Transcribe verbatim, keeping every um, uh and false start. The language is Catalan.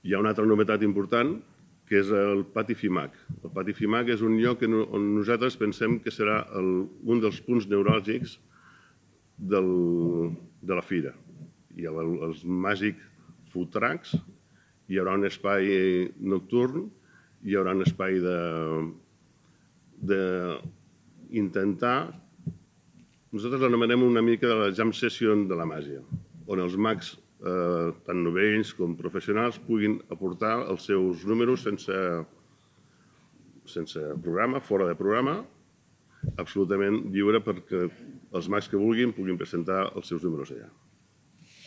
Hi ha una altra novetat important, que és el Pati FIMAC. El Pati FIMAC és un lloc on nosaltres pensem que serà un dels punts neuràlgics de la fira. Hi ha els Magic Food Trucks, hi haurà un espai nocturn, hi haurà un espai d'intentar, nosaltres l'anomenem una mica de la jam session de la màgia, on els mags, tant novells com professionals, puguin aportar els seus números sense programa, fora de programa, absolutament lliure perquè els mags que vulguin puguin presentar els seus números allà.